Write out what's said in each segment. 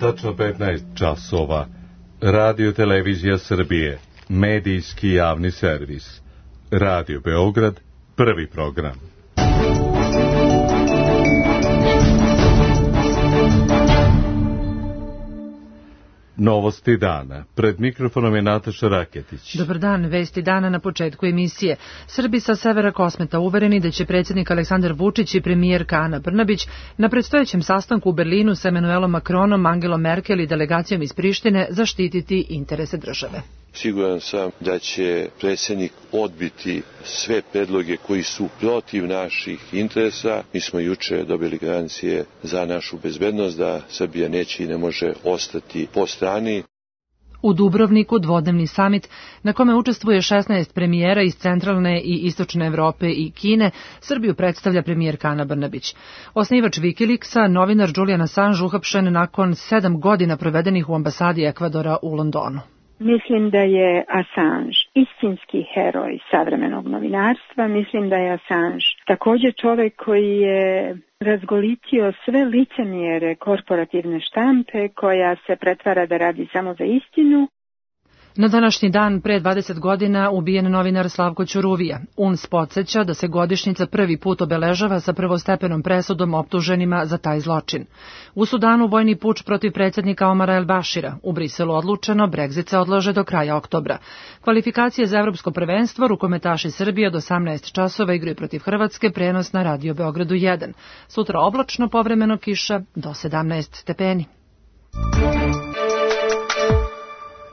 Tačno 15 časova. Radio Televizija Srbije. Medijski javni servis. Radio Beograd. Prvi program. Novosti dana. Pred mikrofonom je Nataša Raketić. Dobar dan, vesti dana na početku emisije. Srbi sa severa Kosmeta uvereni da će predsjednik Aleksandar Vučić i premijerka Ana Brnabić na predstojećem sastanku u Berlinu sa Emanuelom Macronom, Angelom Merkel i delegacijom iz Prištine zaštititi interese države. Siguran sam da će predsjednik odbiti sve predloge koji su protiv naših interesa. Mi smo juče dobili garancije za našu bezbednost da Srbija neće i ne može ostati po strani. U Dubrovniku dvodnevni samit na kome učestvuje 16 premijera iz centralne i istočne Evrope i Kine, Srbiju predstavlja premijerka Ana Brnabić. Osnivač Wikileaksa, novinar Julian Assange, uhapšen nakon 7 godina provedenih u ambasadi Ekvadora u Londonu. Mislim da je Assange istinski heroj savremenog novinarstva. Mislim da je Assange također čovjek koji je razgolitio sve licemjere korporativne štampe koja se pretvara da radi samo za istinu. Na današnji dan pre 20 godina ubijen novinar Slavko Ćuruvija. UNS podsjeća da se godišnjica prvi put obeležava sa prvostepenom presudom optuženima za taj zločin. U Sudanu vojni puč protiv predsjednika Omara El Bašira. U Briselu odlučeno, Brexit se odlaže do kraja oktobra. Kvalifikacije za evropsko prvenstvo, rukometaši Srbije od 18 časova igraju protiv Hrvatske, prenos na Radio Beogradu 1. Sutra oblačno, povremeno kiša do 17 stepeni.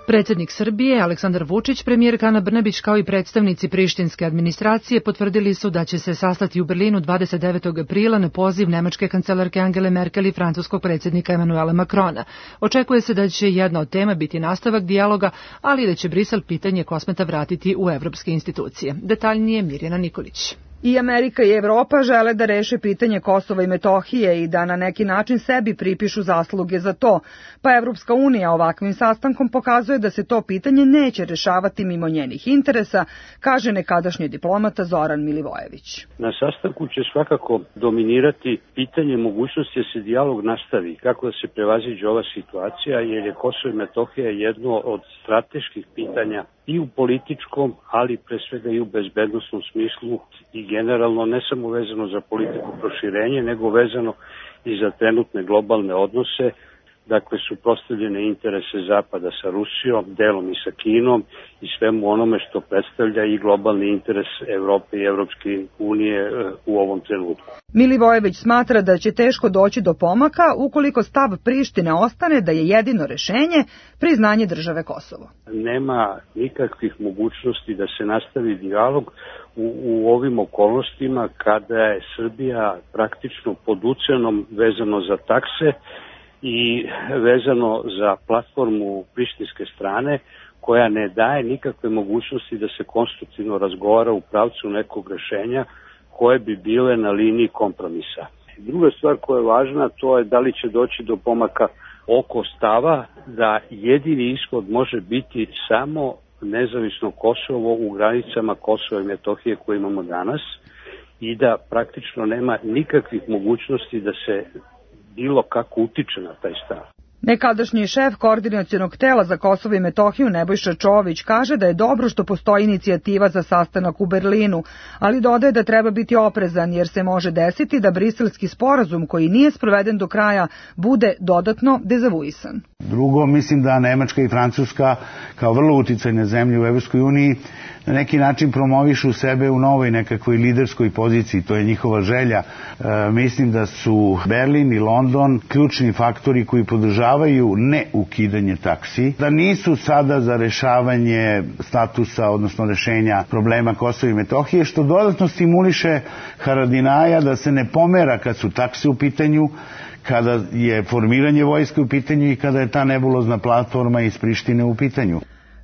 Predsjednik Srbije, Aleksandar Vučić, premijerka Ana Brnabić kao i predstavnici prištinske administracije potvrdili su da će se sastati u Berlinu 29. aprila na poziv nemačke kancelarke Angele Merkel i francuskog predsjednika Emanuela Macrona. Očekuje se da će jedna od tema biti nastavak dijaloga, ali i da će Brisel pitanje Kosmeta vratiti u evropske institucije. Detaljnije Mirjana Nikolić. I Amerika i Evropa žele da reše pitanje Kosova i Metohije i da na neki način sebi pripišu zasluge za to, pa Evropska unija ovakvim sastankom pokazuje da se to pitanje neće rešavati mimo njenih interesa, kaže nekadašnji diplomata Zoran Milivojević. Na sastanku će svakako dominirati pitanje mogućnosti da se dijalog nastavi, kako da se prevaziđe ova situacija, jer je Kosovo i Metohija jedno od strateških pitanja i u političkom, ali pre svega i u bezbednosnom smislu i generalno ne samo vezano za politiku proširenja, nego vezano i za trenutne globalne odnose, dakle suprotstavljene interese Zapada sa Rusijom, delom i sa Kinom i svemu onome što predstavlja i globalni interes Evrope i Evropske unije u ovom trenutku. Milivojević smatra da će teško doći do pomaka ukoliko stav Prištine ostane da je jedino rešenje priznanje države Kosovo. Nema nikakvih mogućnosti da se nastavi dijalog u ovim okolnostima kada je Srbija praktično pod ucenom vezano za takse i vezano za platformu prištinske strane koja ne daje nikakve mogućnosti da se konstruktivno razgovara u pravcu nekog rešenja koje bi bile na liniji kompromisa. Druga stvar koja je važna, to je da li će doći do pomaka oko stava da jedini ishod može biti samo nezavisno Kosovo u granicama Kosova i Metohije koje imamo danas i da praktično nema nikakvih mogućnosti da se bilo kako utiče na taj stav. Nekadašnji šef koordinacionog tela za Kosovo i Metohiju Nebojša Čović kaže da je dobro što postoji inicijativa za sastanak u Berlinu, ali dodaje da treba biti oprezan jer se može desiti da briselski sporazum koji nije sproveden do kraja bude dodatno dezavuisan. Drugo, mislim da Nemačka i Francuska kao vrlo uticajne zemlje u Evropskoj uniji na neki način promovišu sebe u novoj nekakvoj liderskoj poziciji, to je njihova želja. Mislim da su Berlin i London ključni faktori koji podržavaju ne ukidanje taksi, da nisu sada za rešavanje statusa, odnosno rešenja problema Kosova i Metohije, što dodatno stimuliše Haradinaja da se ne pomera kad su takse u pitanju, kada je formiranje vojske u pitanju i kada je ta nebulozna platforma iz Prištine u pitanju.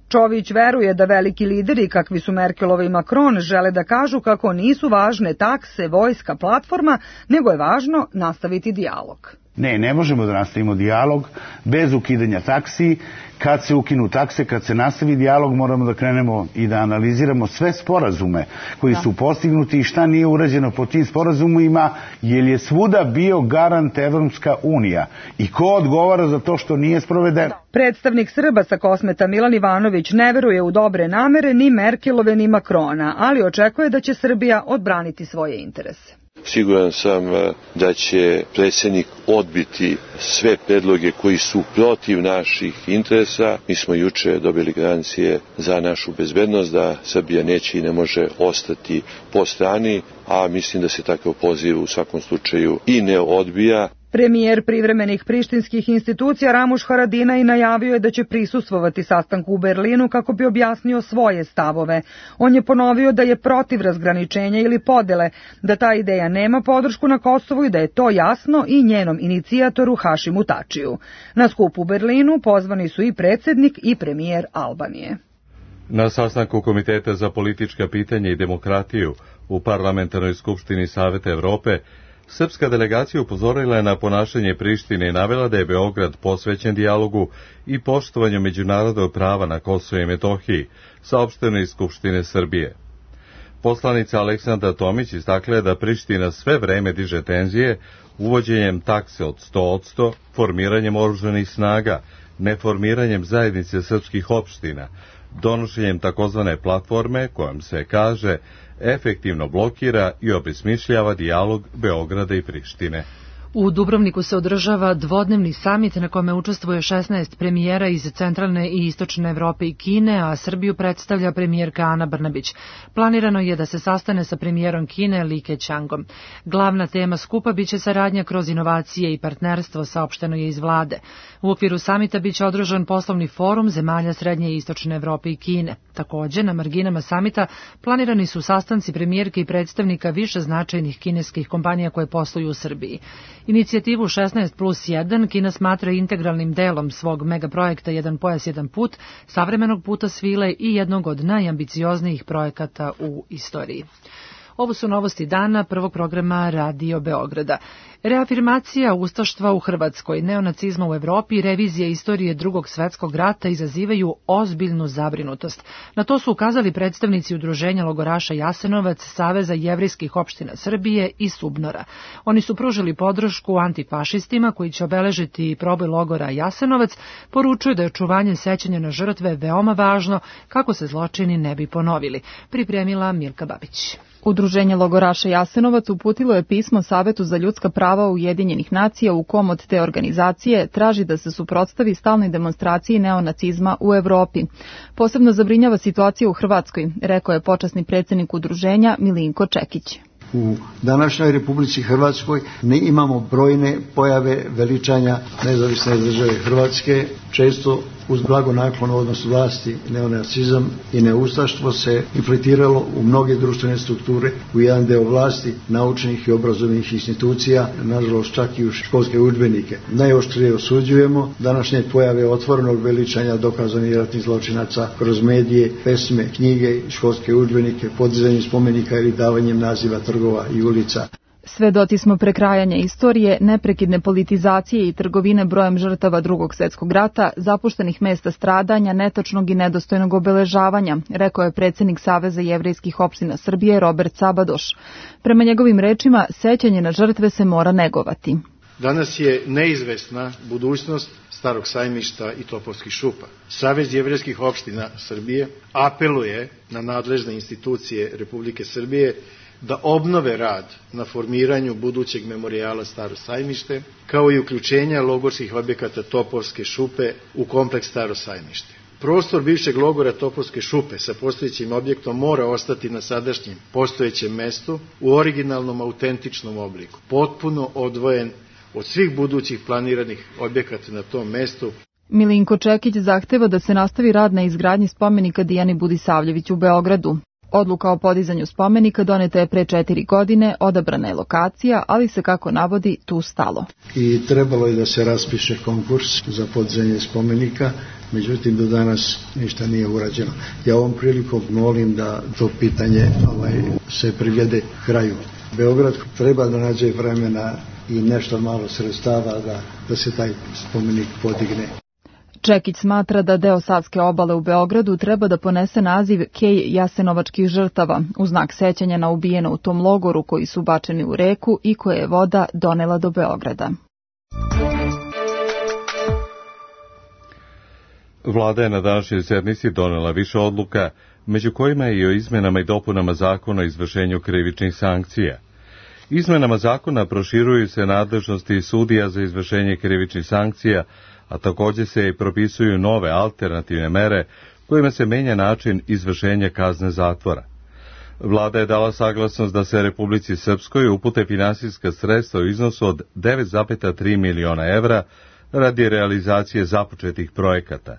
Čović veruje da veliki lideri kakvi su Merkelova i Macron žele da kažu kako nisu važne takse, vojska, platforma, nego je važno nastaviti dijalog. Ne možemo da nastavimo dijalog bez ukidanja taksi. Kad se ukinu takse, kad se nastavi dijalog, moramo da krenemo i da analiziramo sve sporazume koji su postignuti i šta nije urađeno po tim sporazumima, jer je svuda bio garant Evropska unija. I ko odgovara za to što nije sprovedeno? Predstavnik Srba sa Kosmeta Milan Ivanović ne veruje u dobre namere ni Merkelove ni Makrona, ali očekuje da će Srbija odbraniti svoje interese. Siguran sam da će predsjednik odbiti sve predloge koji su protiv naših interesa. Mi smo juče dobili garancije za našu bezbednost da Srbija neće i ne može ostati po strani, a mislim da se takav poziv u svakom slučaju i ne odbija. Premijer privremenih prištinskih institucija Ramuš Haradinaj najavio je da će prisustvovati sastanku u Berlinu kako bi objasnio svoje stavove. On je ponovio da je protiv razgraničenja ili podele, da ta ideja nema podršku na Kosovu i da je to jasno i njenom inicijatoru Hašimu Tačiju. Na skup u Berlinu pozvani su i predsjednik i premijer Albanije. Na sastanku Komiteta za politička pitanja i demokratiju u Parlamentarnoj skupštini Saveta Evrope srpska delegacija upozorila je na ponašanje Prištine i navela da je Beograd posvećen dijalogu i poštovanju međunarodnog prava na Kosovu i Metohiji, saopšteno iz Skupštine Srbije. Poslanica Aleksandra Tomić istakla je da Priština sve vreme diže tenzije uvođenjem takse od 100%, formiranjem oružanih snaga, neformiranjem zajednice srpskih opština, donošenjem takozvane platforme kojom se kaže efektivno blokira i obesmišljava dijalog Beograda i Prištine. U Dubrovniku se održava dvodnevni samit na kome učestvuje 16 premijera iz centralne i istočne Evrope i Kine, a Srbiju predstavlja premijerka Ana Brnabić. Planirano je da se sastane sa premijerom Kine Li Keqiangom. Glavna tema skupa biće saradnja kroz inovacije i partnerstvo, saopšteno je iz vlade. U okviru samita biće održan poslovni forum zemalja Srednje i Istočne Evrope i Kine. Takođe, na marginama samita planirani su sastanci premijerke i predstavnika više značajnih kineskih kompanija koje posluju u Srbiji. Inicijativu 16+1 Kina smatra integralnim delom svog megaprojekta Jedan pojas, jedan put, savremenog puta svile i jednog od najambicioznijih projekata u istoriji. Ovo su novosti dana prvog programa Radio Beograda. Reafirmacija ustaštva u Hrvatskoj, neonacizma u Evropi i revizija istorije Drugog svetskog rata izazivaju ozbiljnu zabrinutost. Na to su ukazali predstavnici Udruženja logoraša Jasenovac, Saveza jevrejskih opština Srbije i Subnora. Oni su pružili podršku antifašistima koji će obeležiti proboj logora Jasenovac, poručuju da je očuvanje sećanja na žrtve veoma važno kako se zločini ne bi ponovili. Pripremila Milka Babić. Udruženje logoraša Jasenovac uputilo je pismo Savetu za ljudska prava Ujedinjenih nacija u kom od te organizacije traži da se suprotstavi stalnoj demonstraciji neonacizma u Evropi. Posebno zabrinjava situacija u Hrvatskoj, rekao je počasni predsjednik udruženja Milinko Čekić. U današnjoj Republici Hrvatskoj ne imamo brojne pojave veličanja nezavisne države Hrvatske, često uz blagonaklon odnos vlasti, neonacizam i neustaštvo se infiltriralo u mnoge društvene strukture, u jedan deo vlasti, naučnih i obrazovnih institucija, nažalost čak i u školske udžbenike. Najoštrije osuđujemo današnje pojave otvorenog veličanja dokazanih ratnih zločinaca kroz medije, pesme, knjige, školske udžbenike, podizanjem spomenika ili davanjem naziva trgova i ulica. Svedoci smo prekrajanja istorije, neprekidne politizacije i trgovine brojem žrtava Drugog svjetskog rata, zapuštenih mesta stradanja, netačnog i nedostojnog obeležavanja, rekao je predsjednik Saveza jevrejskih opština Srbije Robert Sabadoš. Prema njegovim rečima, sećanje na žrtve se mora negovati. Danas je neizvesna budućnost Starog sajmišta i Topovskih šupa. Savez jevrejskih opština Srbije apeluje na nadležne institucije Republike Srbije da obnove rad na formiranju budućeg memorijala Staro sajmište, kao i uključenja logorskih objekata Topovske šupe u kompleks Staro sajmište. Prostor bivšeg logora Topovske šupe sa postojećim objektom mora ostati na sadašnjem postojećem mestu u originalnom autentičnom obliku, potpuno odvojen od svih budućih planiranih objekata na tom mestu. Milinko Čekić zahteva da se nastavi rad na izgradnji spomenika Dijani Budisavljević u Beogradu. Odluka o podizanju spomenika doneta je pre 4 godine, odabrana je lokacija, ali se, kako navodi, tu stalo. I trebalo je da se raspiše konkurs za podizanje spomenika, međutim do danas ništa nije urađeno. Ja ovom prilikom molim da to pitanje se privede kraju. Beograd treba da nađe vremena i nešto malo sredstava da se taj spomenik podigne. Čekić smatra da deo Savske obale u Beogradu treba da ponese naziv Kej jasenovačkih žrtava, u znak sećanja na ubijene u tom logoru koji su bačeni u reku i koje je voda donela do Beograda. Vlada je na današnjoj sednici donela više odluka, među kojima je i o izmenama i dopunama zakona o izvršenju krivičnih sankcija. Izmenama zakona proširuju se nadležnosti sudija za izvršenje krivičnih sankcija, a također se i propisuju nove alternativne mere kojima se menja način izvršenja kazne zatvora. Vlada je dala saglasnost da se Republici Srpskoj upute finansijska sredstva u iznosu od 9,3 miliona evra radi realizacije započetih projekata.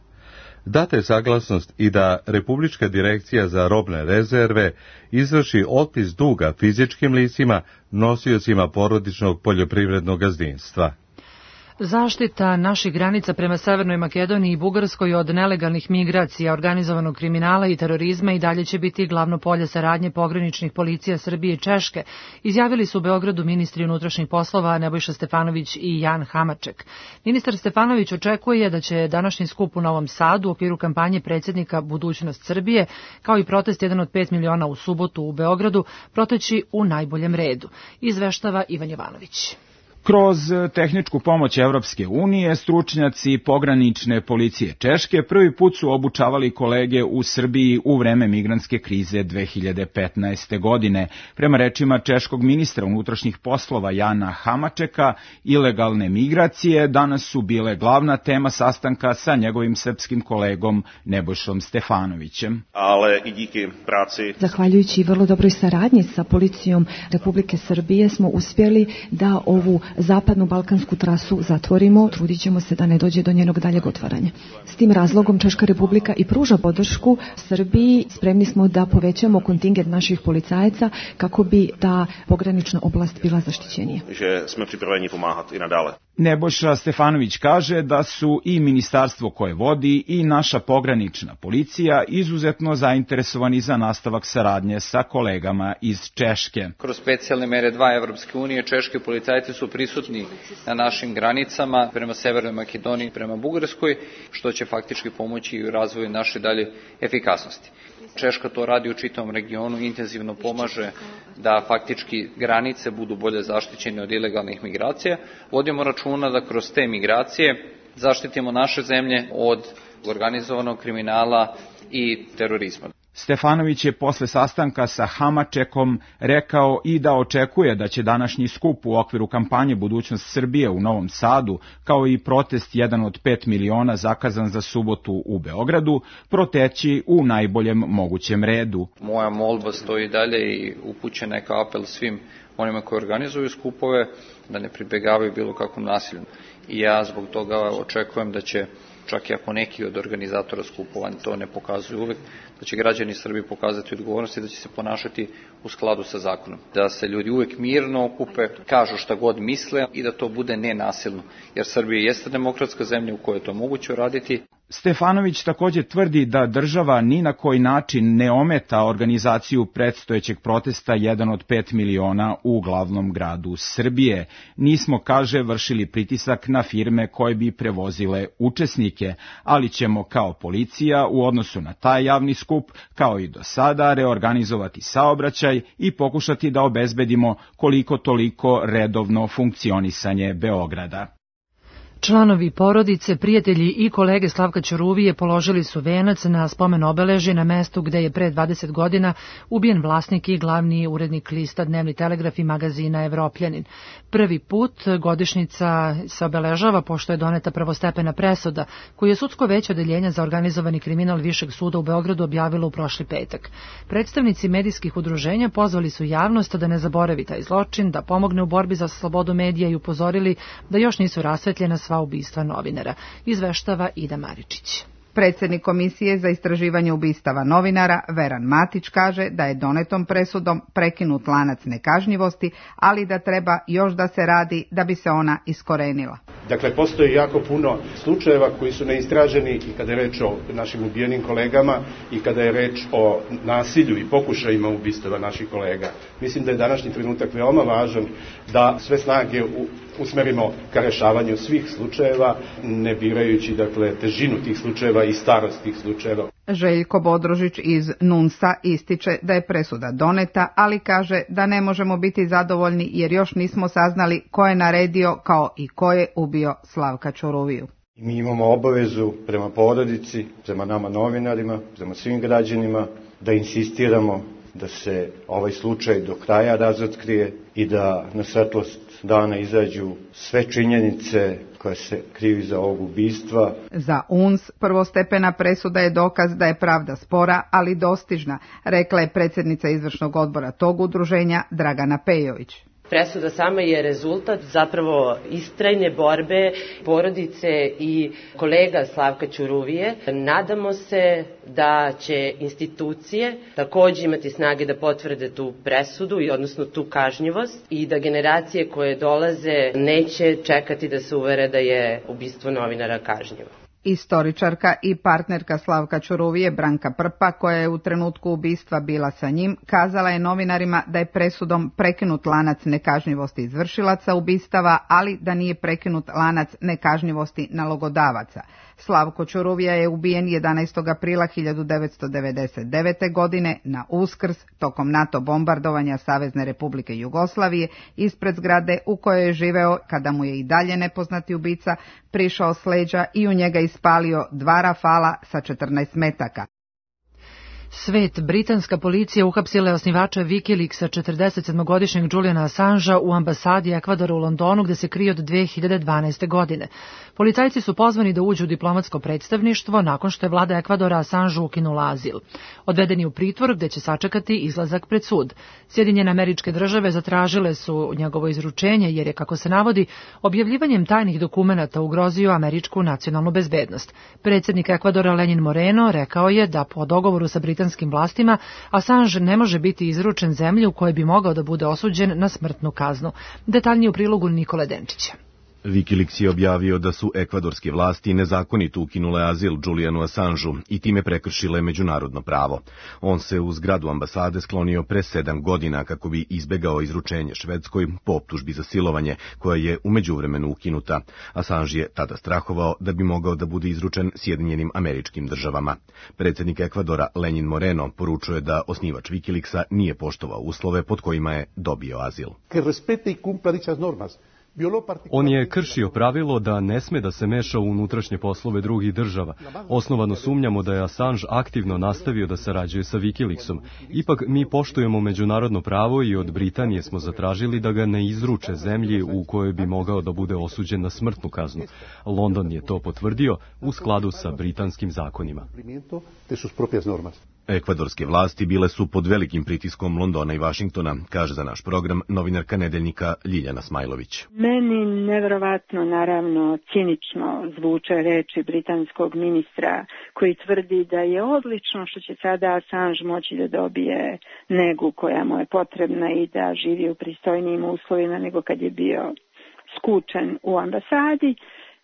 Data je saglasnost i da Republička direkcija za robne rezerve izvrši otpis duga fizičkim licima, nosiocima porodičnog poljoprivrednog gazdinstva. Zaštita naših granica prema Severnoj Makedoniji i Bugarskoj od nelegalnih migracija, organizovanog kriminala i terorizma i dalje će biti glavno polje saradnje pograničnih policija Srbije i Češke, izjavili su u Beogradu ministri unutrašnjih poslova Nebojša Stefanović i Jan Hamaček. Ministar Stefanović očekuje da će današnji skup u Novom Sadu u okviru kampanje predsjednika Budućnost Srbije, kao i protest 1 od 5 miliona u subotu u Beogradu, proteći u najboljem redu, izveštava Ivan Jovanović. Kroz tehničku pomoć Evropske unije, stručnjaci pogranične policije Češke prvi put su obučavali kolege u Srbiji u vreme migrantske krize 2015. godine. Prema rečima češkog ministra unutrašnjih poslova Jana Hamačeka, ilegalne migracije danas su bile glavna tema sastanka sa njegovim srpskim kolegom Nebojšom Stefanovićem. Ale i díky práci. Zahvaljujući vrlo dobroj saradnji sa policijom Republike Srbije smo uspjeli da ovu zapadnu balkansku trasu zatvorimo, trudit ćemo se da ne dođe do njenog daljeg otvaranja. S tim razlogom Češka Republika i pruža podršku Srbiji, spremni smo da povećamo kontingent naših policajaca kako bi ta pogranična oblast bila zaštićenija. Že smo pripraveni pomagati i nadalje. Nebojša Stefanović kaže da su i ministarstvo koje vodi i naša pogranična policija izuzetno zainteresovani za nastavak saradnje sa kolegama iz Češke. Kroz specijalne mere 2 Evropske unije, češki policajci su prisutni na našim granicama prema Severnoj Makedoniji, prema Bugarskoj, što će faktički pomoći i u razvoju naše dalje efikasnosti. Češka to radi u čitavom regionu, intenzivno pomaže da faktički granice budu bolje zaštićene od ilegalnih migracija. Vodimo računa da kroz te migracije zaštitimo naše zemlje od organizovanog kriminala i terorizma. Stefanović je posle sastanka sa Hamačekom rekao i da očekuje da će današnji skup u okviru kampanje Budućnost Srbije u Novom Sadu, kao i protest 1 od 5 miliona zakazan za subotu u Beogradu, proteći u najboljem mogućem redu. Moja molba stoji dalje i upućen neka apel svim onima koji organizuju skupove da ne pribegavaju bilo kakvom nasilju. I ja zbog toga očekujem da će, čak i ako neki od organizatora skupova to ne pokazuju uvek, da će građani Srbije pokazati odgovornost i da će se ponašati u skladu sa zakonom. Da se ljudi uvek mirno okupe, kažu šta god misle i da to bude nenasilno. Jer Srbija jeste demokratska zemlja u kojoj je to moguće raditi. Stefanović također tvrdi da država ni na koji način ne ometa organizaciju predstojećeg protesta 1 od 5 miliona u glavnom gradu Srbije. Nismo, kaže, vršili pritisak na firme koje bi prevozile učesnike, ali ćemo kao policija u odnosu na taj javni skup, kao i do sada, reorganizovati saobraćaj i pokušati da obezbedimo koliko toliko redovno funkcionisanje Beograda. Članovi porodice, prijatelji i kolege Slavka Ćuruvije položili su venac na spomen obeležje na mestu gde je pre 20 godina ubijen vlasnik i glavni urednik lista Dnevni telegraf i magazina Evropljanin. Prvi put godišnjica se obeležava pošto je doneta prvostepena presuda, koju je sudsko veće odeljenja za organizovani kriminal Višeg suda u Beogradu objavilo u prošli petak. Predstavnici medijskih udruženja pozvali su javnost da ne zaboravi taj zločin, da pomogne u borbi za slobodu medija i upozorili da još nisu rasvetljena sva ubistva novinara, izveštava Ida Maričić. Predsjednik Komisije za istraživanje ubistava novinara Veran Matić kaže da je donetom presudom prekinut lanac nekažnjivosti, ali da treba još da se radi da bi se ona iskorenila. Dakle, postoji jako puno slučajeva koji su neistraženi i kada je reč o našim ubijenim kolegama i kada je reč o nasilju i pokušajima ubistava naših kolega. Mislim da je današnji trenutak veoma važan da sve snage usmerimo ka rešavanju svih slučajeva, ne birajući dakle težinu tih slučajeva i starost tih slučajeva. Željko Bodrožić iz NUNS-a ističe da je presuda doneta, ali kaže da ne možemo biti zadovoljni jer još nismo saznali ko je naredio kao i ko je ubio Slavka Ćuruviju. Mi imamo obavezu prema porodici, prema nama novinarima, prema svim građanima da insistiramo da se ovaj slučaj do kraja razotkrije i da na svetlost dana izađu sve činjenice koje se kriju iza ovog ubistva. Za UNS prvostepena presuda je dokaz da je pravda spora, ali dostižna, rekla je predsjednica izvršnog odbora tog udruženja Dragana Pejović. Presuda sama je rezultat zapravo istrajne borbe porodice i kolega Slavka Ćuruvije. Nadamo se da će institucije također imati snage da potvrde tu presudu, odnosno tu kažnjivost, i da generacije koje dolaze neće čekati da se uvere da je ubistvo novinara kažnjivo. Istoričarka i partnerka Slavka Ćuruvije Branka Prpa, koja je u trenutku ubistva bila sa njim, kazala je novinarima da je presudom prekinut lanac nekažnjivosti izvršilaca ubistava, ali da nije prekinut lanac nekažnjivosti nalogodavaca. Slavko Ćuruvija je ubijen 11. aprila 1999. godine na Uskrs tokom NATO bombardovanja Savezne Republike Jugoslavije ispred zgrade u kojoj je živeo kada mu je i dalje nepoznati ubica prišao s leđa i u njega ispalio 2 rafala sa 14 metaka. Svet, britanska policija uhapsila je osnivača Wikileaksa 47-godišnjeg Juliana Assangea u ambasadi Ekvadora u Londonu gde se krije od 2012. godine. Policajci su pozvani da uđu u diplomatsko predstavništvo nakon što je vlada Ekvadora Assangeu ukinula azil. Odvedeni je u pritvor gde će sačekati izlazak pred sud. Sjedinjene Američke Države zatražile su njegovo izručenje jer je, kako se navodi, objavljivanjem tajnih dokumenata ugrozio američku nacionalnu bezbednost. Predsjednik Ekvadora Lenin Moreno rekao je da po dogovoru sa britanskim vlastima Assange ne može biti izručen zemlji u kojoj bi mogao da bude osuđen na smrtnu kaznu. Detaljnije u prilogu Nikole Denčića. Wikileaks je objavio da su ekvadorske vlasti nezakonito ukinule azil Julianu Assangeu i time prekršile međunarodno pravo. On se u zgradu ambasade sklonio pre 7 godina kako bi izbegao izručenje Švedskoj po optužbi za silovanje, koja je u međuvremenu ukinuta. Assange je tada strahovao da bi mogao da bude izručen Sjedinjenim Američkim Državama. Predsjednik Ekvadora Lenin Moreno poručuje da osnivač Wikileaksa nije poštovao uslove pod kojima je dobio azil. On je kršio pravilo da ne sme da se meša u unutrašnje poslove drugih država. Osnovano sumnjamo da je Assange aktivno nastavio da sarađuje sa Wikileaksom. Ipak mi poštujemo međunarodno pravo i od Britanije smo zatražili da ga ne izruče zemlji u kojoj bi mogao da bude osuđen na smrtnu kaznu. London je to potvrdio u skladu sa britanskim zakonima. Ekvadorske vlasti bile su pod velikim pritiskom Londona i Vašingtona, kaže za naš program novinarka Nedeljnika Ljiljana Smajlović. Meni neverovatno, naravno, cinično zvuče reči britanskog ministra koji tvrdi da je odlično što će sada Assange moći da dobije negu koja mu je potrebna i da živi u pristojnijim uslovima nego kad je bio skučen u ambasadi.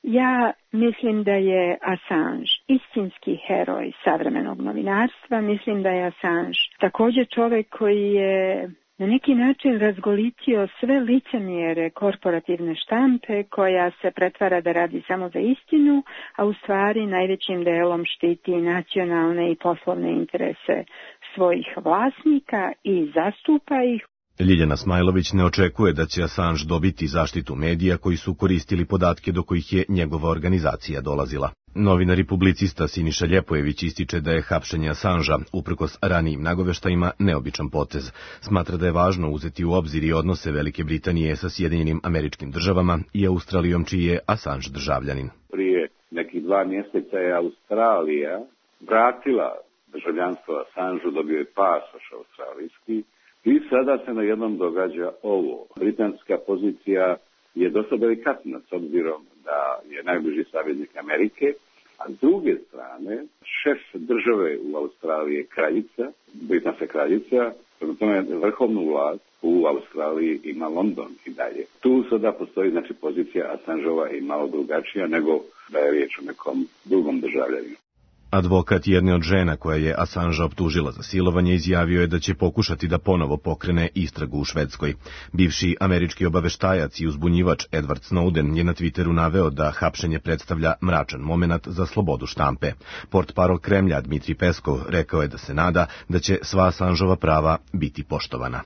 Ja mislim da je Assange istinski heroj savremenog novinarstva. Mislim da je Assange također čovjek koji je na neki način razgolitio sve licemjere korporativne štampe koja se pretvara da radi samo za istinu, a u stvari najvećim delom štiti nacionalne i poslovne interese svojih vlasnika i zastupa ih. Ljiljana Smajlović ne očekuje da će Assange dobiti zaštitu medija koji su koristili podatke do kojih je njegova organizacija dolazila. Novinar i publicista Siniša Ljepojević ističe da je hapšenje Assangea, uprkos ranijim nagoveštajima, neobičan potez. Smatra da je važno uzeti u obzir i odnose Velike Britanije sa Sjedinjenim Američkim Državama i Australijom, čiji je Assange državljanin. Prije nekih 2 mjeseca je Australija vratila državljanstvo Assangeu, dobio je pasoš australijski. I sada se na jednom događa ovo. Britanska pozicija je dosta delikatna s obzirom da je najbliži saveznik Amerike, a s druge strane šef države u Australiji je kraljica, britanska kraljica, prema tome vrhovnu vlast u Australiji ima London i dalje. Tu sada postoji pozicija Assangeova i malo drugačija nego da je riječ o nekom drugom državljaninu. Advokat jedne od žena koja je Assangea optužila za silovanje izjavio je da će pokušati da ponovo pokrene istragu u Švedskoj. Bivši američki obaveštajac i uzbunjivač Edward Snowden je na Twitteru naveo da hapšenje predstavlja mračan momenat za slobodu štampe. Portparol Kremlja Dmitrij Peskov rekao je da se nada da će sva Assangeova prava biti poštovana.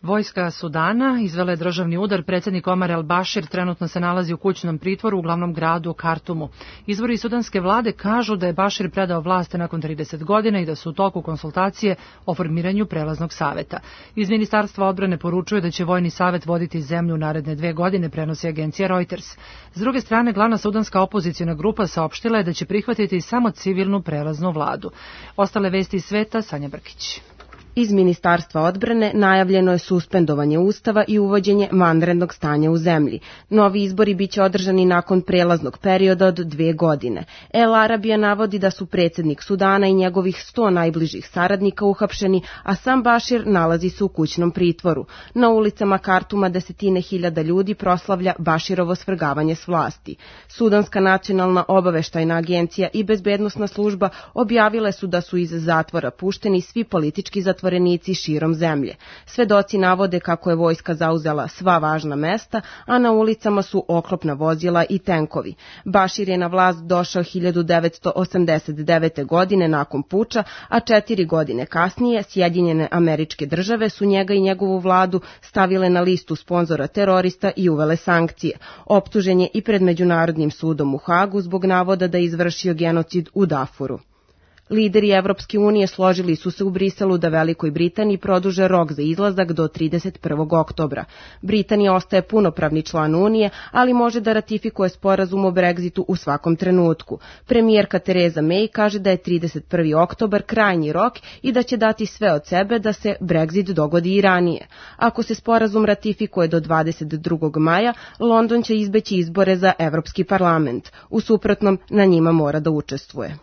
Vojska Sudana izvela je državni udar. Predsjednik Omar el-Bashir trenutno se nalazi u kućnom pritvoru u glavnom gradu Kartumu. Izvori sudanske vlade kažu da je Bashir predao vlast nakon 30 godina i da su u toku konsultacije o formiranju prelaznog saveta. Iz Ministarstva odbrane poručuju da će vojni savet voditi zemlju naredne 2 godine, prenosi agencija Reuters. S druge strane, glavna sudanska opozicijna grupa saopštila je da će prihvatiti samo civilnu prelaznu vladu. Ostale vesti iz sveta, Sanja Brkić. Iz Ministarstva odbrane najavljeno je suspendovanje Ustava i uvođenje vanrednog stanja u zemlji. Novi izbori biće održani nakon prelaznog perioda od 2 godine. El Arabija navodi da su predsjednik Sudana i njegovih 100 najbližih saradnika uhapšeni, a sam Bashir nalazi se u kućnom pritvoru. Na ulicama Kartuma desetine hiljada ljudi proslavlja Bashirovo svrgavanje s vlasti. Sudanska nacionalna obaveštajna agencija i bezbednosna služba objavile su da su iz zatvora pušteni svi politički zatvorenici širom zemlje. Svedoci navode kako je vojska zauzela sva važna mesta, a na ulicama su oklopna vozila i tenkovi. Bashir je na vlast došao 1989. godine nakon puča, a 4 godine kasnije Sjedinjene Američke Države su njega i njegovu vladu stavile na listu sponzora terorista i uvele sankcije. Optužen je i pred Međunarodnim sudom u Hagu zbog navoda da je izvršio genocid u Darfuru. Lideri Evropske unije složili su se u Briselu da Velikoj Britaniji produže rok za izlazak do 31. oktobra. Britanija ostaje punopravni član Unije, ali može da ratifikuje sporazum o Brexitu u svakom trenutku. Premijerka Theresa May kaže da je 31. oktobar krajnji rok i da će dati sve od sebe da se Brexit dogodi i ranije. Ako se sporazum ratifikuje do 22. maja, London će izbeći izbore za Evropski parlament. U suprotnom, na njima mora da učestvuje.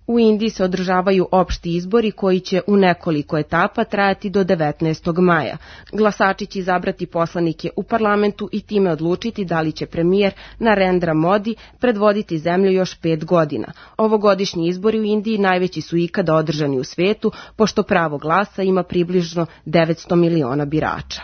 U Indiji se održavaju opšti izbori koji će u nekoliko etapa trajati do 19. maja. Glasači će izabrati poslanike u parlamentu i time odlučiti da li će premijer Narendra Modi predvoditi zemlju još 5 godina. Ovogodišnji izbori u Indiji najveći su ikada održani u svetu, pošto pravo glasa ima približno 900 miliona birača.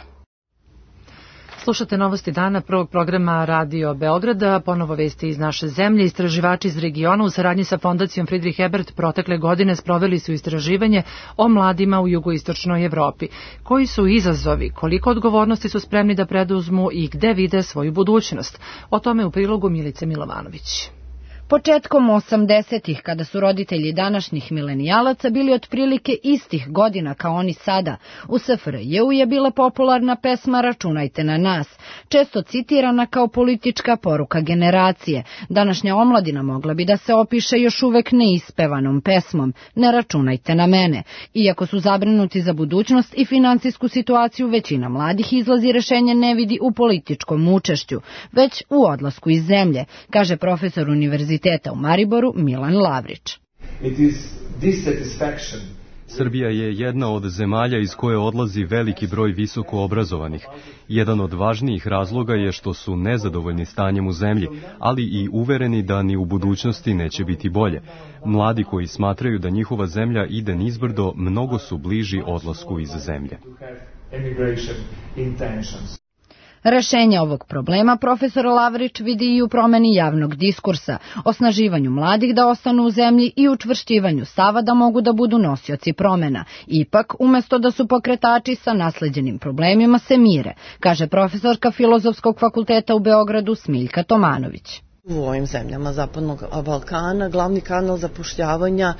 Slušate novosti dana prvog programa Radio Beograda, ponovo vesti iz naše zemlje. Istraživači iz regiona u saradnji sa fondacijom Friedrich Ebert protekle godine sproveli su istraživanje o mladima u jugoistočnoj Evropi. Koji su izazovi, koliko odgovornosti su spremni da preduzmu i gde vide svoju budućnost? O tome u prilogu Milice Milovanović. Početkom 80-ih, kada su roditelji današnjih milenijalaca bili otprilike istih godina kao oni sada, u SFRJ-u je bila popularna pesma Računajte na nas, često citirana kao politička poruka generacije. Današnja omladina mogla bi da se opiše još uvek neispevanom pesmom Ne računajte na mene. Iako su zabrinuti za budućnost i finansijsku situaciju, većina mladih izlazi rešenje ne vidi u političkom učešću, već u odlasku iz zemlje, kaže profesor univerziteta u Mariboru Milan Lavrić. Srbija je jedna od zemalja iz koje odlazi veliki broj visoko obrazovanih. Jedan od važnijih razloga je što su nezadovoljni stanjem u zemlji, ali i uvereni da ni u budućnosti neće biti bolje. Mladi koji smatraju da njihova zemlja ide nizbrdo, mnogo su bliži odlasku iz zemlje. Rešenje ovog problema profesor Lavrić vidi i u promeni javnog diskursa, osnaživanju mladih da ostanu u zemlji i učvršćivanju stava da mogu da budu nosioci promena. Ipak, umesto da su pokretači sa nasleđenim problemima se mire, kaže profesorka Filozofskog fakulteta u Beogradu Smiljka Tomanović. U ovim zemljama Zapadnog Balkana glavni kanal zapošljavanja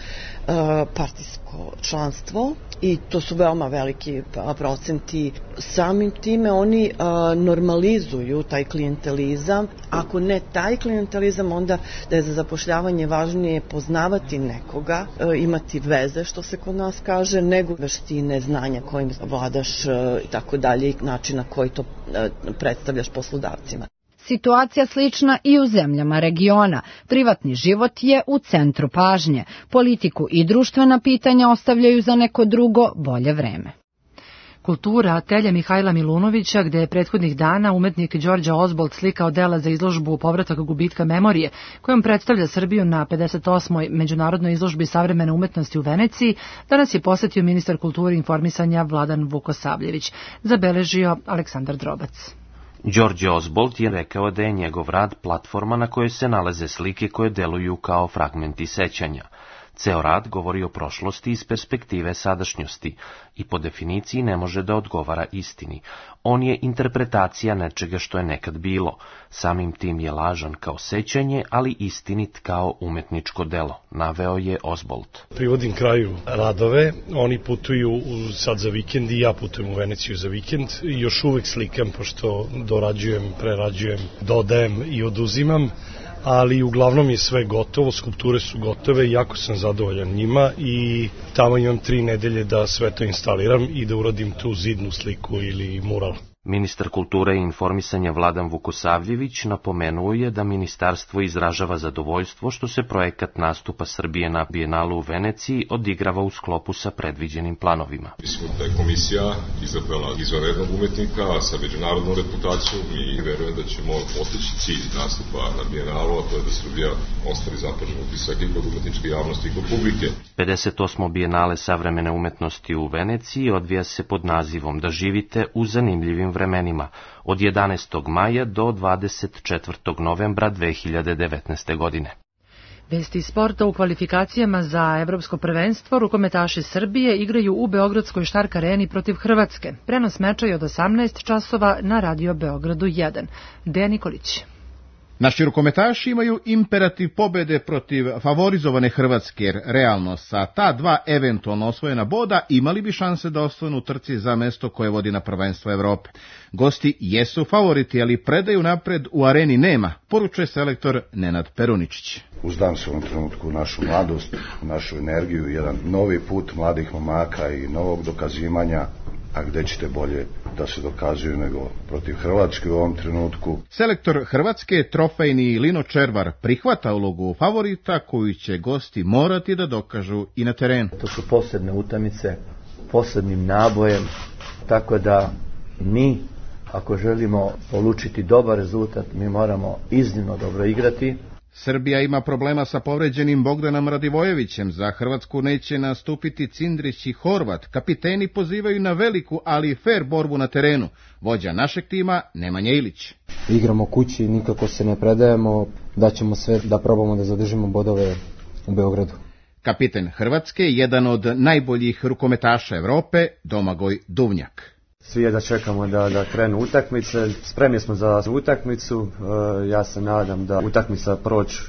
partijsko članstvo i to su veoma veliki procenti. Samim time oni normalizuju taj klijentelizam. Ako ne taj klijentelizam, onda da je za zapošljavanje važnije poznavati nekoga, imati veze, što se kod nas kaže, nego veštine, znanja kojim vladaš i tako dalje i način na koji to predstavljaš poslodavcima. Situacija slična i u zemljama regiona. Privatni život je u centru pažnje. Politiku i društvena pitanja ostavljaju za neko drugo, bolje vreme. Kultura Telje Mihajla Milunovića, gde je prethodnih dana umetnik Đorđe Ozbolt slikao dela za izložbu Povratak gubitka memorije, kojom predstavlja Srbiju na 58. međunarodnoj izložbi savremene umetnosti u Veneciji, danas je posetio ministar kulture i informisanja Vladan Vukosavljević, zabeležio Aleksandar Drobac. Đorđe Ozbolt je rekao da je njegov rad platforma na kojoj se nalaze slike koje deluju kao fragmenti sećanja. Ceo rad govori o prošlosti iz perspektive sadašnjosti i po definiciji ne može da odgovara istini. On je interpretacija nečega što je nekad bilo. Samim tim je lažan kao sećanje, ali istinit kao umetničko delo, naveo je Ozbolt. Privodim kraju radove, oni putuju sad za vikend i ja putujem u Veneciju za vikend i još uvek slikam, pošto dorađujem, prerađujem, dodajem i oduzimam. Ali uglavnom je sve gotovo, skulpture su gotove i jako sam zadovoljan njima i tamo imam 3 nedelje da sve to instaliram i da uradim tu zidnu sliku ili mural. Ministar kulture i informisanja Vladan Vukosavljević napomenuo je da ministarstvo izražava zadovoljstvo što se projekat nastupa Srbije na Bijenalu u Veneciji odigrava u sklopu sa predviđenim planovima. Mislim da je komisija izabrala izvanrednog umetnika sa međunarodnom reputacijom i verujem da ćemo postići cilj nastupa na Bijenalu, a to je da Srbija ostavi zapažen utisak i kod umetničke javnosti i kod publike. 58. Bijenale savremene umetnosti u Veneciji odvija se pod nazivom Da živite u zanimljivim vremenima od 11. maja do 24. novembra 2019. godine. Vesti sporta u kvalifikacijama za evropsko prvenstvo rukometaši Srbije igraju u Beogradskoj Štark areni protiv Hrvatske. Prenos meča je od 18 časova na Radio Beogradu 1. Dejan Nikolić. Naši rukometaši imaju imperativ pobede protiv favorizovane Hrvatske, jer realno sa ta 2 eventualno osvojena boda imali bi šanse da ostanu u trci za mesto koje vodi na prvenstvo Evrope. Gosti jesu favoriti, ali predaju napred u areni nema, poručuje selektor Nenad Peruničić. Uzdam se u ovom trenutku u našu mladost, u našu energiju, jedan novi put mladih momaka i novog dokazivanja, a gde ćete bolje da se dokazuju nego protiv Hrvatske u ovom trenutku. Selektor Hrvatske, trofejni Lino Červar, prihvata ulogu favorita koju će gosti morati da dokažu i na terenu. To su posebne utakmice, posebnim nabojem, tako da mi, ako želimo polučiti dobar rezultat, mi moramo iznimno dobro igrati. Srbija ima problema sa povređenim Bogdanom Radivojevićem. Za Hrvatsku neće nastupiti Cindrić i Horvat. Kapiteni pozivaju na veliku, ali fer borbu na terenu. Vođa našeg tima Nemanja Ilić. Igramo kući, nikako se ne predajemo, daćemo sve da probamo da zadržimo bodove u Beogradu. Kapiten Hrvatske, jedan od najboljih rukometaša Evrope, Domagoj Duvnjak. Svi jedva čekamo da krenu utakmice, spremni smo za utakmicu, ja se nadam da utakmica proći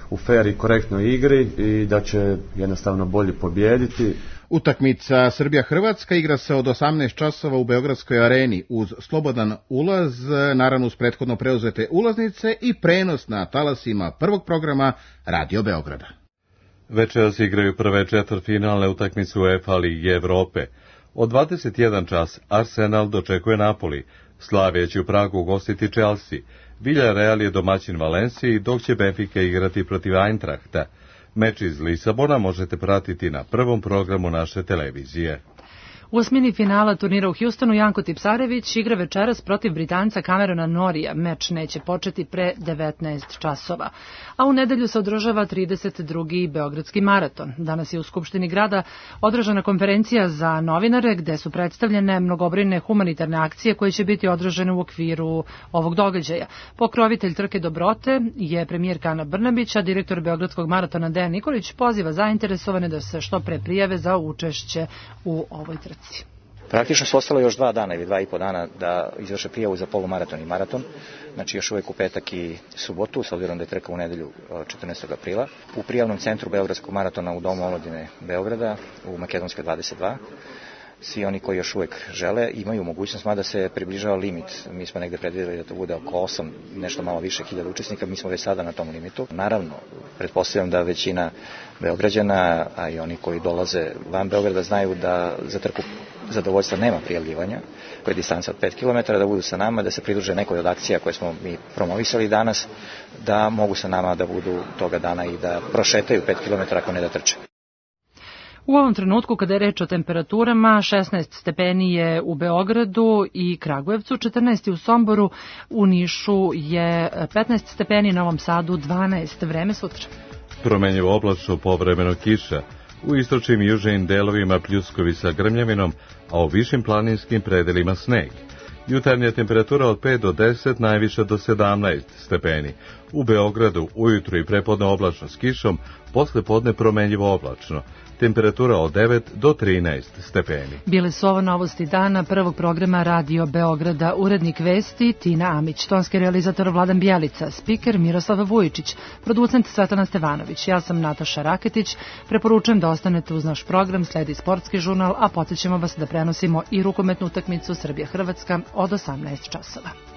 u fer i korektnoj igri i da će jednostavno bolji pobijediti. Utakmica Srbija-Hrvatska igra se od 18 časova u Beogradskoj areni uz slobodan ulaz, naravno uz prethodno preuzete ulaznice i prenos na talasima prvog programa Radio Beograda. Večeras igraju prve četvrtfinalne utakmice UEFA Lige Evrope. Od 21 čas Arsenal dočekuje Napoli, Slavija će u Pragu ugostiti Chelsea, Villarreal je domaćin Valenciji, dok će Benfica igrati protiv Eintrachta. Meč iz Lisabona možete pratiti na prvom programu naše televizije. U osmini finala turnira u Houstonu Janko Tipsarević igra večeras protiv Britanca Camerona Norija. Meč neće početi pre 19 časova. A u nedelju se održava 32. Beogradski maraton. Danas je u Skupštini grada održana konferencija za novinare gde su predstavljene mnogobrojne humanitarne akcije koje će biti održane u okviru ovog događaja. Pokrovitelj trke dobrote je premijerka Ana Brnabić, a direktor Beogradskog maratona Dejan Nikolić poziva zainteresovane da se što pre prijave za učešće u ovoj trci. Praktično su ostalo još 2 dana ili 2,5 dana da izvrše prijavu za polumaraton i maraton, znači još uvek u petak i subotu, s obzirom da je trka u nedelju 14. aprila. U prijavnom centru Beogradskog maratona u Domu omladine Beograda, u Makedonskoj 22, svi oni koji još uvek žele imaju mogućnost, mada se približava limit. Mi smo negde predvideli da to bude oko 8, nešto malo više hiljada učesnika, mi smo već sada na tom limitu. Naravno, pretpostavljam da većina Beograđana, a i oni koji dolaze van Beograda znaju da za trku zadovoljstva nema prijavljivanja, koja je distanca od 5 km, da budu sa nama, da se pridruže nekoj od akcija koje smo mi promovisali danas, da mogu sa nama da budu toga dana i da prošetaju 5 km ako ne da trče. U ovom trenutku, kada je reč o temperaturama, 16 stepeni je u Beogradu i Kragujevcu, 14 u Somboru, u Nišu je 15 stepeni, na Novom Sadu 12. Vreme sutra. Promenjivo oblačno, povremeno kiša. U istočnim i južnim delovima pljuskovi sa grmljavinom, a u višim planinskim predelima sneg. Jutarnja temperatura od 5 do 10, najviša do 17 stepeni. U Beogradu ujutru i prepodne oblačno s kišom, posle podne promenjivo oblačno. Temperatura od 9 do 13 stepeni. Bile su ovo novosti dana prvog programa Radio Beograda. Urednik vesti Tina Amić, tonski realizator Vladan Bjelica, spiker Miroslav Vujičić, producent Svetlana Stevanović. Ja sam Nataša Raketić. Preporučujem da ostanete uz naš program, sledi sportski žurnal, a podsjećamo vas da prenosimo i rukometnu utakmicu Srbija-Hrvatska od 18 časova.